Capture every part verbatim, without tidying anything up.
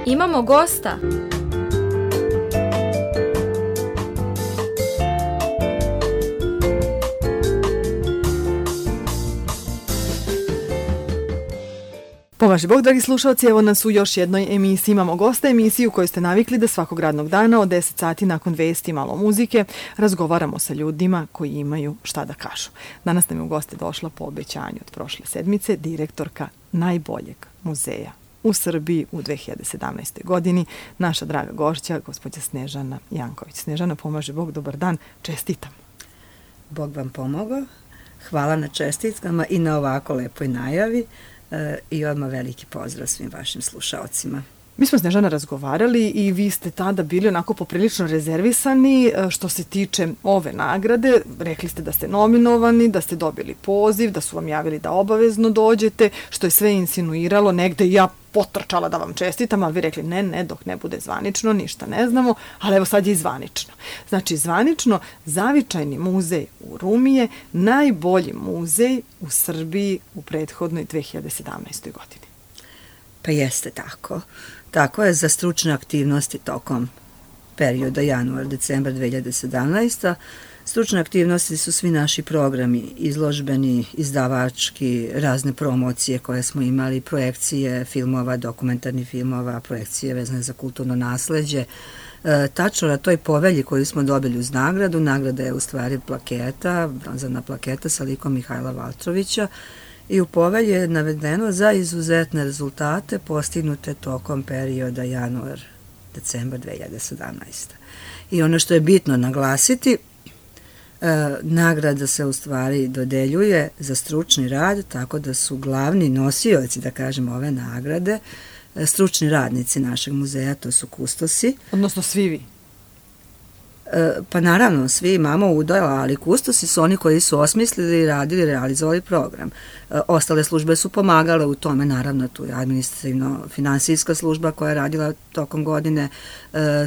Imamo gosta. Pomaže Bog, dragi slušalci, evo nas u još jednoj emisiji. Imamo gosta, emisiju koju ste navikli da svakog radnog dana od deset sati nakon vesti malo muzike razgovaramo sa ljudima koji imaju šta da kažu. Danas nam je u goste došla po obećanju od prošle sedmice direktorka najboljeg muzeja u Srbiji u dve hiljade sedamnaestoj. godini, naša draga gošća, gospođa Snežana Janković. Snežana, pomaže Bog, dobar dan, čestitam. Bog vam pomogao, hvala na čestitkama i na ovako lepoj najavi. I odmah veliki pozdrav svim vašim slušalcima. Mi smo, Snežana, razgovarali i vi ste tada bili onako poprilično rezervisani što se tiče ove nagrade. Rekli ste da ste nominovani, da ste dobili poziv, da su vam javili da obavezno dođete, što je sve insinuiralo. Negde ja potrčala da vam čestitam, ali vi rekli ne, ne, dok ne bude zvanično, ništa ne znamo, ali evo sad je i zvanično. Znači, zvanično, Zavičajni muzej u Rumi je najbolji muzej u Srbiji u prethodnoj dve hiljade sedamnaestoj. godini. Pa jeste tako. Tako je za stručne aktivnosti tokom perioda januar-decembar dve hiljade sedamnaeste. Stručne aktivnosti su svi naši programi, izložbeni, izdavački, razne promocije koje smo imali, projekcije filmova, dokumentarnih filmova, projekcije vezane za kulturno nasleđe. E, tačno na toj povelji koju smo dobili uz nagradu, nagrada je u stvari plaketa, bronzana plaketa sa likom Mihajla Valtrovića, i u povelji je navedeno za izuzetne rezultate postignute tokom perioda januar-decembar dve hiljade sedamnaeste. I ono što je bitno naglasiti, e, nagrada se u stvari dodeljuje za stručni rad, tako da su glavni nosioci, da kažemo, ove nagrade e, stručni radnici našeg muzeja, to su kustosi. Odnosno svi vi? Pa naravno, svi imamo udjela, ali kustosi su oni koji su osmislili, radili, realizovali program. Ostale službe su pomagale u tome, naravno tu je administrativno-finansijska služba koja je radila tokom godine,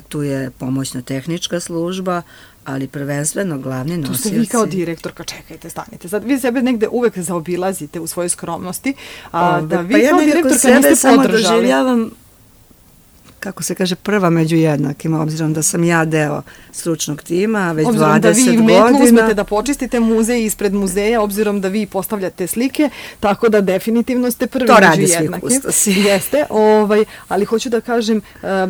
tu je pomoćno-tehnička služba, ali prvenstveno glavni nosioci... Tu ste vi kao direktorka, čekajte, stanite. Sad vi sebe negde uvek zaobilazite u svojoj skromnosti, a da vi pa ja kao direktorka niste podržali. Samo doživljavam, kako se kaže, prva među jednakima, obzirom da sam ja deo stručnog tima već obzirom dvadeset godina. Obzirom da vi metlu uzmete da počistite muzej ispred muzeja, obzirom da vi postavljate slike, tako da definitivno ste prvi to među jednakim. To radi svi kustosi. Jeste, ovaj, ali hoću da kažem,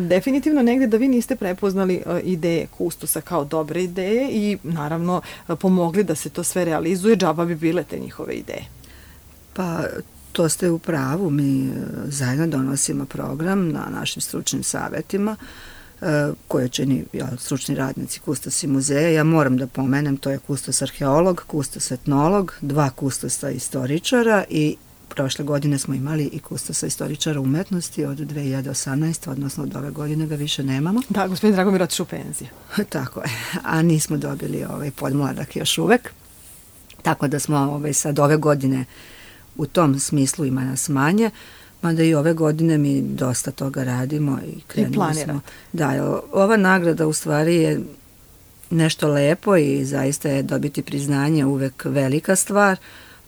definitivno negde da vi niste prepoznali ideje kustosa kao dobre ideje i naravno pomogli da se to sve realizuje, džaba bi bile te njihove ideje. Pa... To ste u pravu, mi zajedno donosimo program na našim stručnim savjetima koje čini ja, stručni radnici kustosi muzeja. Ja moram da pomenem, to je kustos arheolog, kustos etnolog, dva kustosa istoričara i prošle godine smo imali i kustosa istoričara umetnosti od dve hiljade osamnaeste. odnosno od ove godine ga više nemamo. Da, gospodin Dragomir otišao u penziju. Tako je, a nismo dobili ovaj podmladak još uvek. Tako da smo ovaj, sad ove godine u tom smislu ima nas manje, mada i ove godine mi dosta toga radimo i krenuli smo. Da, ova nagrada u stvari je nešto lepo i zaista je dobiti priznanje uvek velika stvar,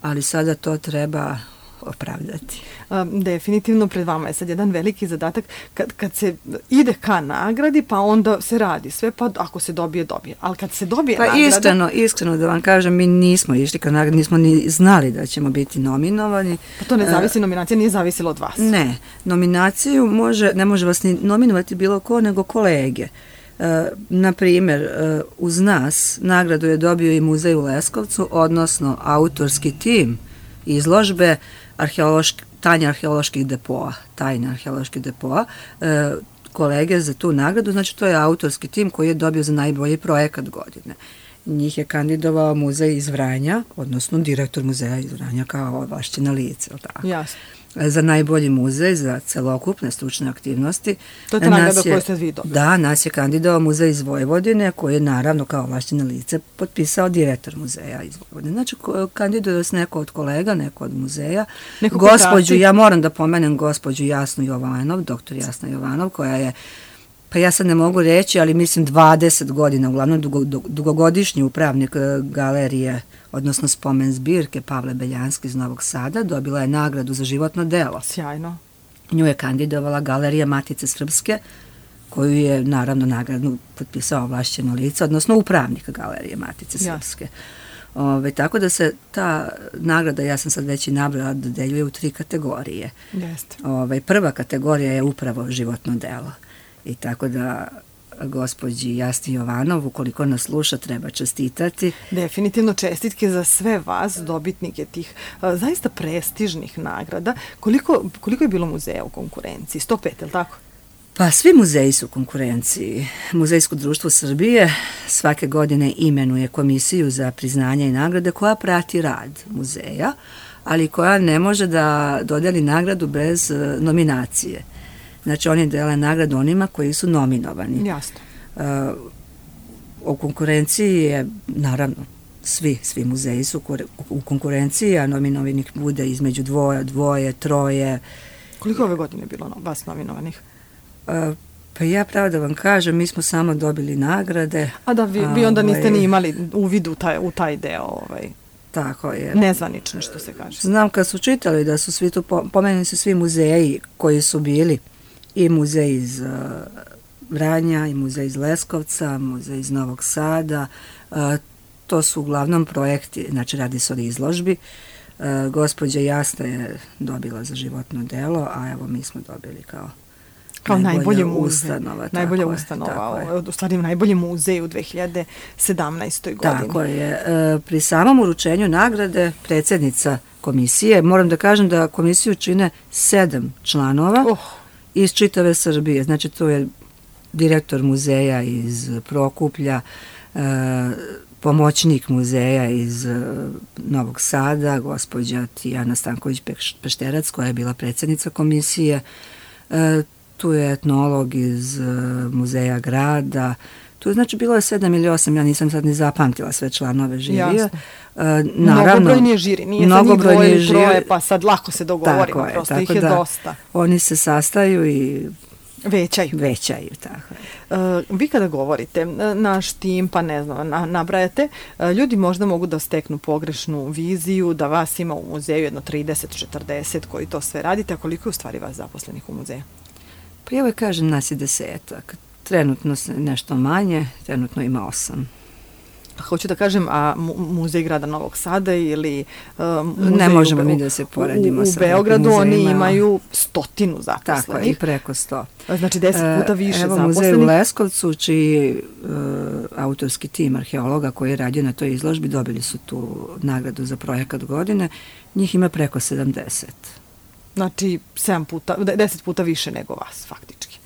ali sada to treba opravdati. Um, definitivno pred vama je sad jedan veliki zadatak kad, kad se ide ka nagradi, pa onda se radi sve, pa ako se dobije, dobije. Ali kad se dobije pa nagrada... iskreno, iskreno da vam kažem, mi nismo išli ka nagradi, nismo ni znali da ćemo biti nominovani. Pa to ne zavisi, uh, nominacija nije zavisila od vas. Ne, nominaciju može, ne može vas ni nominovati bilo ko, nego kolege. Uh, na primjer, uh, uz nas nagradu je dobio i muzej u Leskovcu, odnosno autorski tim izložbe arheološki, tajne arheoloških depoa, tajne arheoloških depoa, e, kolege za tu nagradu, znači to je autorski tim koji je dobio za najbolji projekat godine. Njih je kandidovao muzej iz Vranja, odnosno direktor muzeja iz Vranja kao ovlašćena lice. Jasno. Za najbolji muzej, za celokupne stručne aktivnosti. To je ta nagrada koju ste vi dobili. Da, nas je kandidovao muzej iz Vojvodine, koji je naravno kao ovlašćeno lice potpisao direktor muzeja iz Vojvodine. Znači, kandiduje se neko od kolega, neko od muzeja. Neko gospođu, ja moram da pomenem gospođu Jasnu Jovanov, doktor Jasna Jovanov, koja je, pa ja sad ne mogu reći, ali mislim dvadeset godina, uglavnom dugo, dugogodišnji upravnik galerije, odnosno spomen zbirke Pavle Beljanski iz Novog Sada, dobila je nagradu za životno delo. Sjajno. Nju je kandidovala Galerija Matice Srpske, koju je naravno nagradu potpisao ovlašćeno lice, odnosno upravnik Galerije Matice Srpske. Ove, tako da se ta nagrada, ja sam sad već i nabrala, dodeljuje u tri kategorije. Jeste. Ove, prva kategorija je upravo životno delo. I tako da gospođi Jasni Jovanov, ukoliko nas sluša, treba čestitati. Definitivno čestitke za sve vas, dobitnike tih a, zaista prestižnih nagrada. Koliko, koliko je bilo muzeja u konkurenciji? sto pet, je li tako? Pa svi muzeji su u konkurenciji. Muzejsko društvo Srbije svake godine imenuje komisiju za priznanje i nagrade koja prati rad muzeja, ali koja ne može da dodeli nagradu bez nominacije. Znači oni dele nagradu onima koji su nominovani. Jasno. Uh, u konkurenciji je, naravno, svi, svi muzeji su u konkurenciji, a nominovanih bude između dvoje, dvoje, troje. Koliko ove godine je bilo vas nominovanih? Uh, pa ja pravo da vam kažem, mi smo samo dobili nagrade. A da, vi, vi onda niste ni imali uvid u taj, u taj deo, ovaj, tako je. Nezvanično, što se kaže. Znam kad su čitali da su svi tu, pomenuli su svi muzeji koji su bili, i muzej iz uh, Vranja, i muzej iz Leskovca, muzej iz Novog Sada. Uh, to su uglavnom projekti, znači radi se o izložbi. Uh, gospođa Jasna je dobila za životno delo, a evo mi smo dobili kao kao najbolje ustanova. Najbolja ustanova, u stvari najbolji muzej u dve hiljade sedamnaestoj godini. Tako je. E, pri samom uručenju nagrade predsjednica komisije, moram da kažem da komisiju čine sedam članova oh. iz čitave Srbije. Znači to je direktor muzeja iz Prokuplja, e, pomoćnik muzeja iz Novog Sada, gospođa Tijana Stanković-Pešterac, koja je bila predsjednica komisije, e, tu je etnolog iz uh, muzeja grada, tu znači bilo je sedam ili osam, ja nisam sad ni zapamtila sve članove žirija. Uh, mnogobrojnije žiri, nije sad njih dvoje ili troje, pa sad lako se dogovorimo, tako prosto je, ih je da, dosta. Oni se sastaju i većaju. Većaju, tako. Uh, vi kada govorite, naš tim, pa ne znam, na, nabrajate, uh, ljudi možda mogu da steknu pogrešnu viziju, da vas ima u muzeju jedno trideset četrdeset koji to sve radite, a koliko je u stvari vas zaposlenih u muzeju? Pa ja uvek kažem, nas je desetak. Trenutno nešto manje, trenutno ima osam. Hoću da kažem, a muzej grada Novog Sada ili uh, muzej ne možemo u, mi da se poredimo u, u Beogradu, oni imaju stotinu zaposlenih. Tako, i preko sto. Znači deset puta više Evo, zaposlenih. Muzej u Leskovcu, čiji uh, autorski tim arheologa koji je radio na toj izložbi, dobili su tu nagradu za projekat godine, njih ima preko sedamdeset. Znači, sedam puta, deset puta više nego vas, faktički.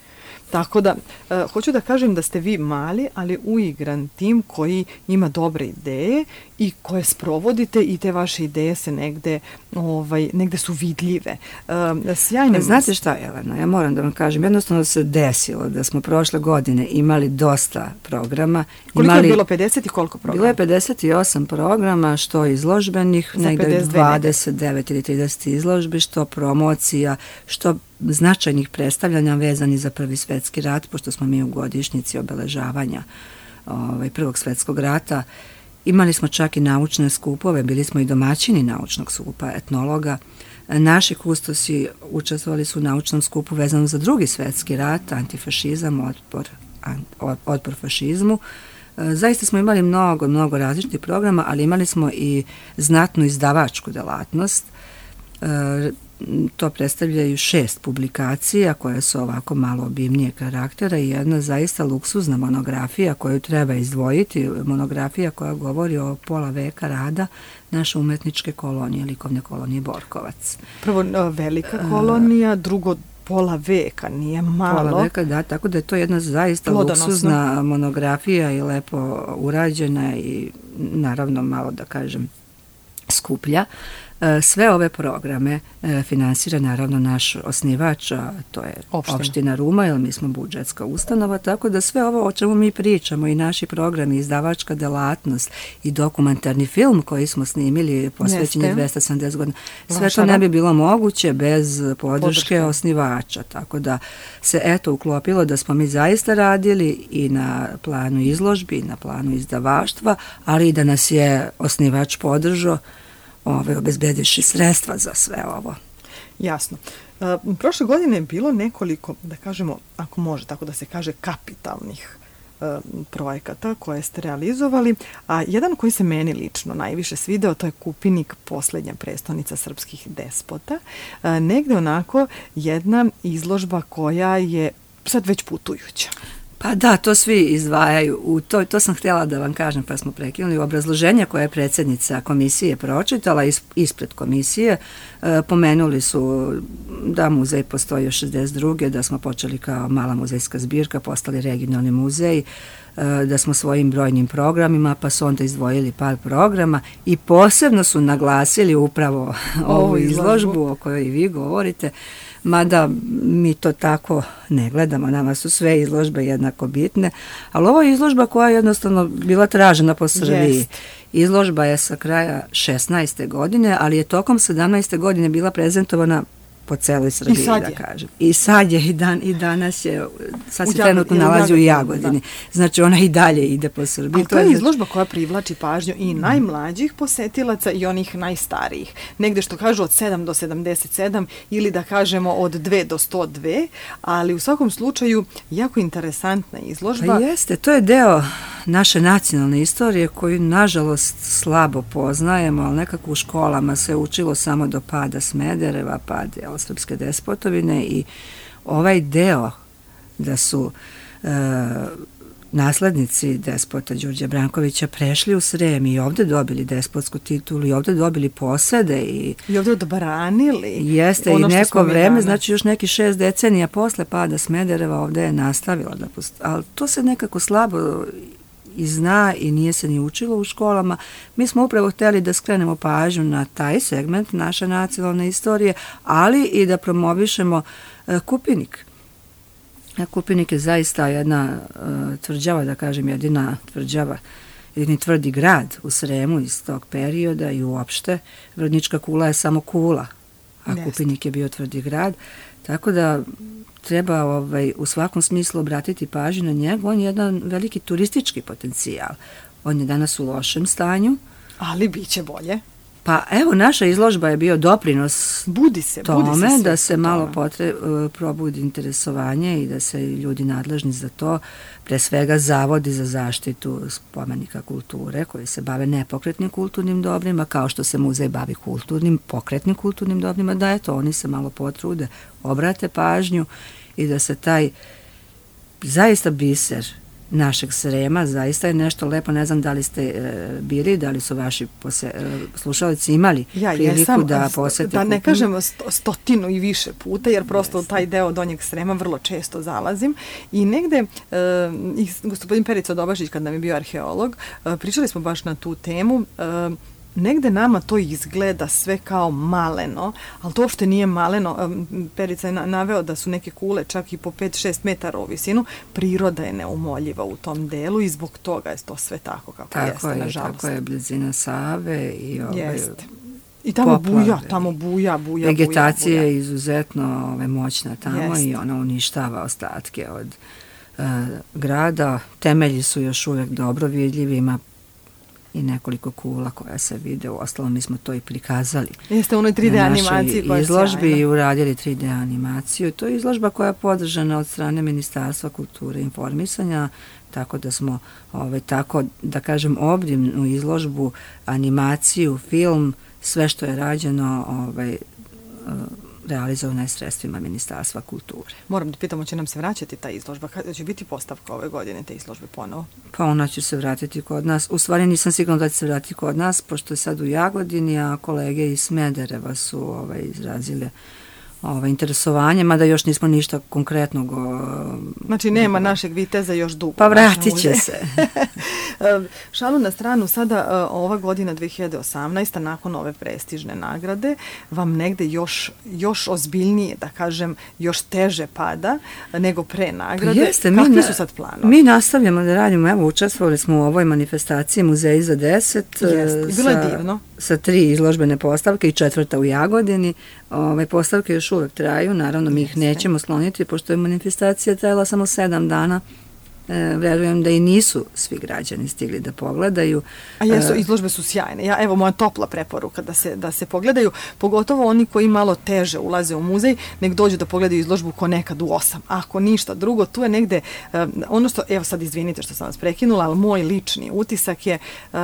Tako da, uh, hoću da kažem da ste vi mali, ali uigran tim koji ima dobre ideje i koje sprovodite i te vaše ideje se negde, ovaj, negde su vidljive. Uh, sjajne... Znate šta, Jelena, ja moram da vam kažem, jednostavno se desilo da smo prošle godine imali dosta programa. Koliko imali, je bilo, pedeset i koliko programa? Bilo je pedeset i osam programa, što izložbenih, negde dvadeset devet ili trideset izložbi, što promocija, što značajnih predstavljanja vezani za Prvi svetski rat, pošto smo mi u godišnjici obeležavanja ovaj, Prvog svetskog rata. Imali smo čak i naučne skupove, bili smo i domaćini naučnog skupa, etnologa. Naši kustosi učestvovali su u naučnom skupu vezano za Drugi svetski rat, antifašizam, otpor, otpor fašizmu. Zaista smo imali mnogo, mnogo različitih programa, ali imali smo i znatnu izdavačku delatnost. To predstavljaju šest publikacija koje su ovako malo obimnije karaktera i jedna zaista luksuzna monografija koju treba izdvojiti, monografija koja govori o pola veka rada naše umetničke kolonije, likovne kolonije Borkovac. Prvo velika kolonija, drugo pola veka, nije malo. Pola veka, da, tako da je to jedna zaista Plodonosno. luksuzna monografija i lepo urađena i naravno malo da kažem skuplja. Sve ove programe finansira naravno naš osnivač, a to je opština, opština Ruma, jer mi smo budžetska ustanova, tako da sve ovo o čemu mi pričamo i naši programi, izdavačka delatnost i dokumentarni film koji smo snimili posvećen je dvesta sedamdeset godina, sve to ne bi bilo moguće bez podrške, podrške osnivača, tako da se eto uklopilo da smo mi zaista radili i na planu izložbi, i na planu izdavaštva, ali i da nas je osnivač podržao, ove obezbediši sredstva za sve ovo. Jasno. Prošle godine je bilo nekoliko, da kažemo, ako može tako da se kaže, kapitalnih projekata koje ste realizovali, a jedan koji se meni lično najviše svideo, to je Kupinik, posljednja prestonica srpskih despota. Negde onako jedna izložba koja je sad već putujuća. Pa da, to svi izdvajaju. U to, to sam htjela da vam kažem, pa smo prekinuli. Obrazloženje koje je predsjednica komisije pročitala is, ispred komisije, e, pomenuli su da muzej postoji od šezdeset druge da smo počeli kao mala muzejska zbirka, postali regionalni muzej, e, da smo svojim brojnim programima, pa su onda izdvojili par programa i posebno su naglasili upravo ovu izložbu o kojoj i vi govorite. Mada mi to tako ne gledamo, nama su sve izložbe jednako bitne, ali ovo je izložba koja je jednostavno bila tražena po Srbiji. Yes. Izložba je sa kraja šesnaeste godine, ali je tokom sedamnaeste godine bila prezentovana po celoj Srbiji, da kažem. I sad je, i, dan, i danas je, sad se trenutno nalazi u Jagodini. Da. Znači ona i dalje ide po Srbiji. Ali to je izložba koja privlači pažnju i najmlađih posetilaca i onih najstarijih. Negde što kažu od sedam do sedamdeset sedam ili da kažemo od dve do sto dve, ali u svakom slučaju jako interesantna izložba. Pa jeste, to je deo naše nacionalne istorije koju nažalost slabo poznajemo, ali nekako u školama se učilo samo do pada Smedereva, pad srpske despotovine i ovaj deo da su e, naslednici despota Đurđa Brankovića prešli u Srem i ovde dobili despotsku titulu i ovde dobili posede i, i ovde odbranili. Jeste, ono i neko vreme, danas. Znači još neki šest decenija posle pada Smedereva ovde je nastavila da postoji, ali to se nekako slabo i zna i nije se ni učilo u školama. Mi smo upravo htjeli da skrenemo pažnju na taj segment naše nacionalne istorije, ali i da promovišemo uh, Kupinik. Kupinik je zaista jedna uh, tvrđava, da kažem, jedina tvrđava, jedini tvrdi grad u Sremu iz tog perioda i uopšte. Vrodnička kula je samo kula, a Jeste. Kupinik je bio tvrdi grad. Tako da treba ovaj, u svakom smislu obratiti pažnju na njega. On je jedan veliki turistički potencijal. On je danas u lošem stanju. Ali bit će bolje. Pa evo, naša izložba je bio doprinos budi se, tome, budi se da se malo potre, probudi interesovanje i da se ljudi nadležni za to, pre svega zavodi za zaštitu spomenika kulture koji se bave nepokretnim kulturnim dobrima, kao što se muzej bavi kulturnim, pokretnim kulturnim dobrima, da eto, oni se malo potrude, obrate pažnju i da se taj zaista biser našeg Srema, zaista je nešto lepo, ne znam da li ste e, bili, da li su vaši pose, e, slušalici imali ja, priliku jesam, da posete. Da ne kažemo sto, stotinu i više puta, jer prosto u taj deo Donjeg Srema vrlo često zalazim i negde, e, i gospodin Perica Dobašić, kad nam je bio arheolog, e, pričali smo baš na tu temu, e, negde nama to izgleda sve kao maleno, ali to uopšte nije maleno. Perica je naveo da su neke kule čak i po pet šest metara u visinu. Priroda je neumoljiva u tom delu i zbog toga je to sve tako kako tako jeste, je, nažalost. Tako je, blizina Save i ove jeste. I tamo poplave. buja, tamo buja, buja, Vegetacija buja. je izuzetno ove, moćna tamo jeste. I ona uništava ostatke od uh, grada. Temelji su još uvijek dobro vidljivi, ima i nekoliko kula koja se vide, u ostalom mi smo to i prikazali. Jeste u onoj tri D animaciji koja je izložbi i uradili tri D animaciju. To je izložba koja je podržana od strane Ministarstva kulture i informisanja, tako da smo ovaj, tako, da kažem, obimnu izložbu, animaciju, film, sve što je rađeno ovaj, realizovano je sredstvima Ministarstva kulture. Moram da pitamo, će nam se vraćati ta izložba? Kada će biti postavka ove godine te izložbe ponovo? Pa ona će se vratiti kod nas. U stvari nisam sigurna da će se vratiti kod nas, pošto je sad u Jagodini, a kolege iz Smedereva su ovaj, izrazile ovaj, interesovanje, mada još nismo ništa konkretnog. O, znači nema dugo. Našeg viteza još dugo. Pa vratit će se. Šalu na stranu, sada ova godina dve hiljade osamnaesta nakon ove prestižne nagrade vam negde još, još ozbiljnije, da kažem, još teže pada nego pre nagrade. Pa jeste, kakvi mi, su sad planovi? Mi nastavljamo da radimo, evo učestvovali smo u ovoj manifestaciji Muzeji za deset. Jeste, bilo je divno. Sa tri izložbene postavke i četvrta u Jagodini. Ove postavke još uvek traju, naravno mi ih nećemo skloniti, pošto je manifestacija trajala samo sedam dana, E, verujem da i nisu svi građani stigli da pogledaju. A jesu, izložbe su sjajne. Ja, evo moja topla preporuka da se, da se pogledaju, pogotovo oni koji malo teže ulaze u muzej, nek dođu da pogledaju izložbu ko nekad u osam. Ako ništa drugo, tu je negde, uh, ono što, evo sad izvinite što sam vas prekinula, ali moj lični utisak je, uh,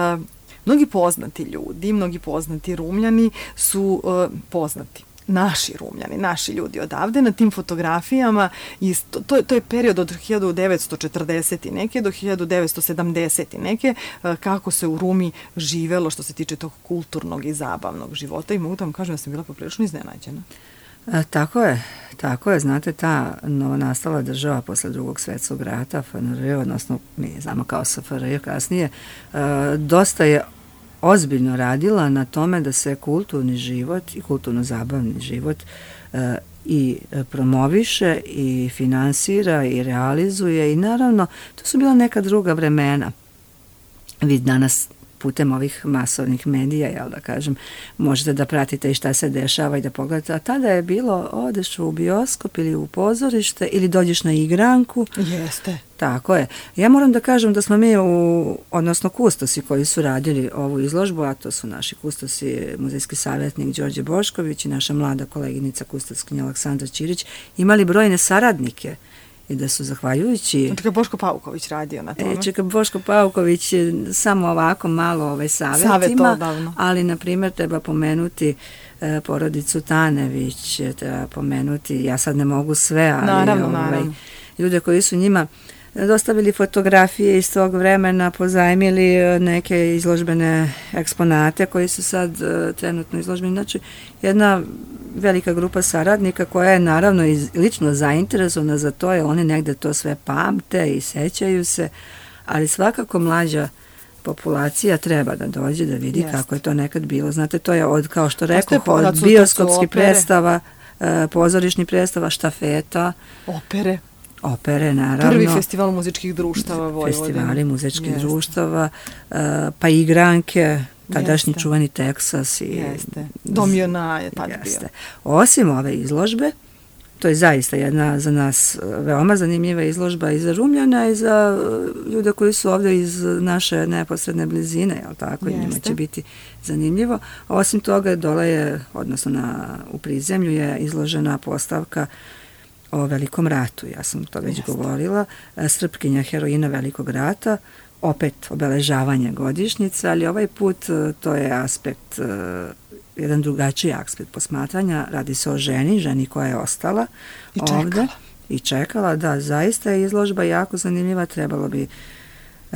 mnogi poznati ljudi, mnogi poznati Rumljani su uh, poznati. Naši Rumljani, naši ljudi odavde na tim fotografijama, i to, to, to je period od hiljadu devetsto četrdeset i neke do hiljadu devetsto sedamdeset i neke, kako se u Rumi živelo što se tiče tog kulturnog i zabavnog života, i mogu da vam kažem da sam bila poprilično iznenađena. E, tako je, tako je, znate, ta novonastala država posle drugog svetskog rata, F N R, odnosno mi znamo kao S F R J kasnije, e, dosta je ozbiljno radila na tome da se kulturni život i kulturno-zabavni život e, i promoviše i finansira i realizuje, i naravno to su bila neka druga vremena. Vi danas putem ovih masovnih medija, jel da kažem, možete da pratite i šta se dešava i da pogledate, a tada je bilo, odeš u bioskop ili u pozorište ili dođeš na igranku. Jeste. Tako je. Ja moram da kažem da smo mi, u, odnosno kustosi koji su radili ovu izložbu, a to su naši kustosi, muzejski savjetnik Đorđe Bošković i naša mlada koleginica kustoskinja Aleksandra Ćirić, imali brojne saradnike, i da su zahvaljujući... Čekaj, Boško Pauković radio na tome. E, čekaj, Boško Pauković samo ovako malo ovaj savjetima, ali na primjer treba pomenuti e, porodicu Tanević, treba pomenuti, ja sad ne mogu sve, ali naravno, ovaj, naravno. ljude koji su njima dostavili fotografije iz tog vremena, pozajmili neke izložbene eksponate koji su sad uh, trenutno izložbeni. Znači, jedna velika grupa saradnika koja je naravno iz, lično zainteresovana za to, jer oni negde to sve pamte i sećaju se, ali svakako mlađa populacija treba da dođe da vidi Jest. kako je to nekad bilo. Znate, to je od, kao što rekao, od bioskopskih predstava, uh, pozorišnih predstava, štafeta, opere. Opere, naravno. Prvi festival muzičkih društava Vojvodine. Festivali muzičkih Jeste. društava, uh, pa igranke, tadašnji Jeste. čuvani Teksas. I, Jeste. Dom Jona je tad bio. Osim ove izložbe, to je zaista jedna za nas veoma zanimljiva izložba i za Rumljana i za ljude koji su ovdje iz naše neposredne blizine, jel tako? Jeste. Njima će biti zanimljivo. Osim toga, dole je, odnosno na, u prizemlju je izložena postavka o Velikom ratu, ja sam to već Jeste. govorila, Srpkinja, heroina Velikog rata, opet obeležavanje godišnjice, ali ovaj put to je aspekt, jedan drugačiji aspekt posmatranja, radi se o ženi, ženi koja je ostala I ovde čekala. i čekala, da, zaista je izložba jako zanimljiva, trebalo bi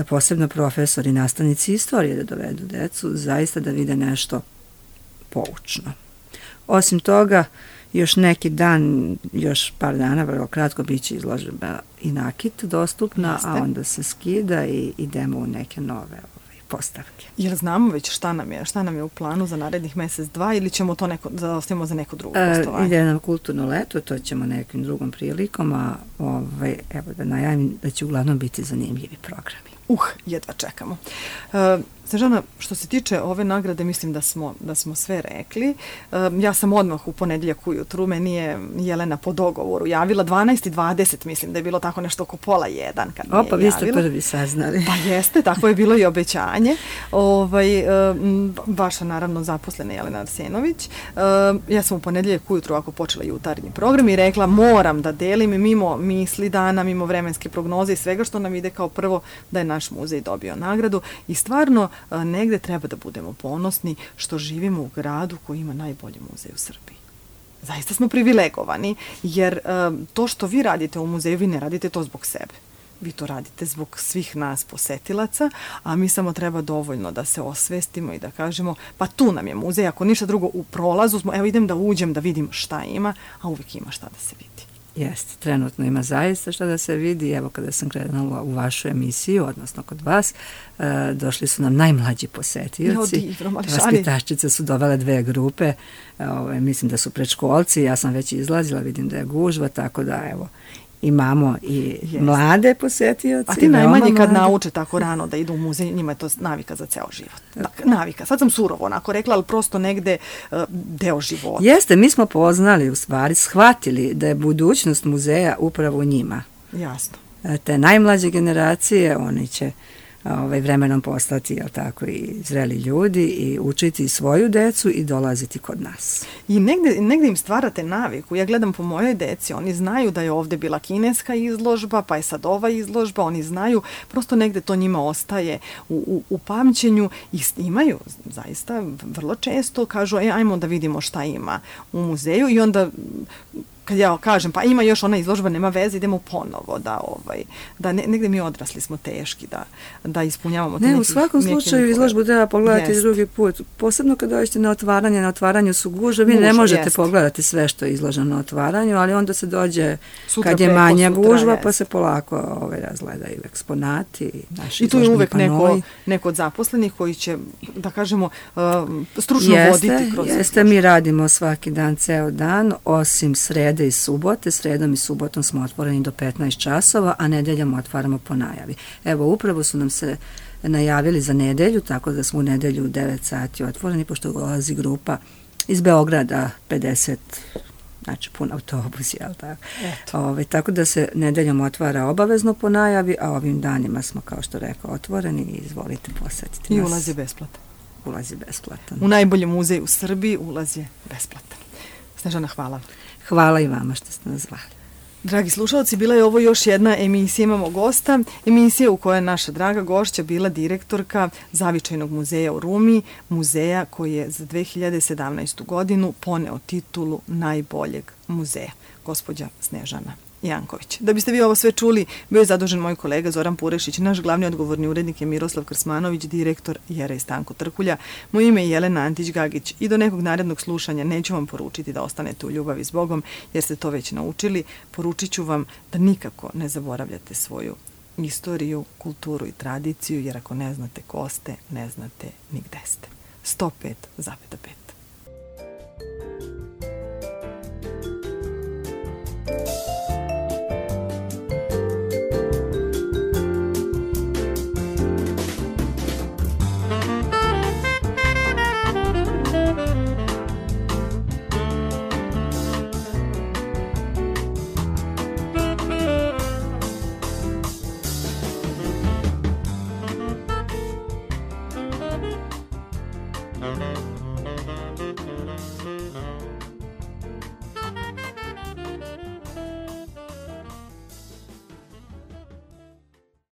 posebno profesori, nastavnici istorije da dovedu decu, zaista da vide nešto poučno. Osim toga, još neki dan, još par dana, vrlo kratko, bit će izložba i nakit dostupna, Jeste. a onda se skida i idemo u neke nove ovaj, postavke. Jel znamo već šta nam je, šta nam je u planu za narednih mesec, dva, ili ćemo to neko, zaostavimo za neko drugo postovanje? E, ide nam kulturno leto, to ćemo nekim drugom prilikom, a ovaj, evo da najavim da će uglavnom biti zanimljivi programi. Uh, jedva čekamo. Uh, Snežana, što se tiče ove nagrade, mislim da smo, da smo sve rekli. Uh, ja sam odmah u ponedjeljak ujutru, meni je Jelena po dogovoru javila dvanaest i dvadeset, mislim da je bilo tako nešto oko pola jedan kad mi je Opa, vi ste prvi saznali. Pa jeste, tako je bilo i obećanje. Ovaj, uh, vaša naravno zaposlena Jelena Arsenović. Uh, ja sam u ponedjeljak ujutru ako počela jutarnji program i rekla moram da delim mimo misli dana, mimo vremenske prognoze i svega što nam ide kao prvo da je naš muzej dobio nagradu i stvarno negde treba da budemo ponosni što živimo u gradu koji ima najbolji muzej u Srbiji. Zaista smo privilegovani, jer to što vi radite u muzeju, vi ne radite to zbog sebe. Vi to radite zbog svih nas posetilaca, a mi samo treba dovoljno da se osvestimo i da kažemo, pa tu nam je muzej, ako ništa drugo u prolazu smo, evo idem da uđem da vidim šta ima, a uvijek ima šta da se vidi. Jeste, trenutno ima zaista šta da se vidi. Evo kada sam krenula u vašu emisiju, odnosno kod vas, e, došli su nam najmlađi posetioci. Vaspitačice su dovele dve grupe, e, ove, mislim da su predškolci, ja sam već izlazila, vidim da je gužva, tako da evo, imamo i yes. mlade posetioci. A ti najmanji kad nauče tako rano da idu u muzej, njima je to navika za ceo život. Dakle, navika. Sad sam surovo onako rekla, ali prosto negde uh, deo života. Jeste, mi smo poznali u stvari, shvatili da je budućnost muzeja upravo u njima. Jasno. te najmlađe generacije, oni će ovaj, vremenom postati, jel tako, i zreli ljudi i učiti svoju decu i dolaziti kod nas. I negde, negde im stvarate naviku. Ja gledam po mojoj deci, oni znaju da je ovde bila kineska izložba, pa je sad ova izložba, oni znaju, prosto negde to njima ostaje u, u, u pamćenju i imaju zaista vrlo često, kažu, e, ajmo da vidimo šta ima u muzeju i onda kad ja kažem, pa ima još ona izložba, nema veze, idemo ponovo, da, ovaj, da ne, negde mi odrasli smo teški, da, da ispunjavamo. Ne, nekih, u svakom slučaju izložbu treba pogledati jest. drugi put. Posebno kada dođete na otvaranje, na otvaranju su gužve, vi Guž, ne možete jest. pogledati sve što je izloženo na otvaranju, ali onda se dođe sutra kad je manja sutra, gužva, jest. pa se polako ovaj, razgledaju eksponati, naši i tu je uvek panoj. neko, neko od zaposlenih koji će, da kažemo, uh, stručno jeste, voditi kroz jeste, izložbu. Mi radimo svaki dan, ceo dan, osim srede i subote, sredom i subotom smo otvoreni do petnaest časova, a nedeljom otvaramo po najavi. Evo, upravo su nam se najavili za nedelju, tako da smo u nedelju u devet sati otvoreni, pošto ulazi grupa iz Beograda, pedeset, znači pun autobus, jel tako? Ove, tako da se nedeljom otvara obavezno po najavi, a ovim danima smo, kao što rekao, otvoreni i izvolite posetiti I nas. I ulaz je besplatan. Ulaz je besplatan. U najboljem muzeju u Srbiji ulaz je besplatan. Snežana, hvala. Hvala i vama što ste nas zvali. Dragi slušalci, bila je ovo još jedna emisija, imamo gosta, emisija u kojoj je naša draga gošća bila direktorka Zavičajnog muzeja u Rumi, muzeja koji je za dve hiljade sedamnaestu godinu poneo titulu najboljeg muzeja, gospođa Snežana Janković. Da biste vi ovo sve čuli, bio je zadužen moj kolega Zoran Purešić, naš glavni odgovorni urednik je Miroslav Krsmanović, direktor Jera i Stanko Trkulja. Moje ime je Jelena Antić-Gagić i do nekog narednog slušanja neću vam poručiti da ostanete u ljubavi s Bogom, jer ste to već naučili. Poručit ću vam da nikako ne zaboravljate svoju istoriju, kulturu i tradiciju, jer ako ne znate ko ste, ne znate ni gde ste. sto pet zarez pet. Thank you.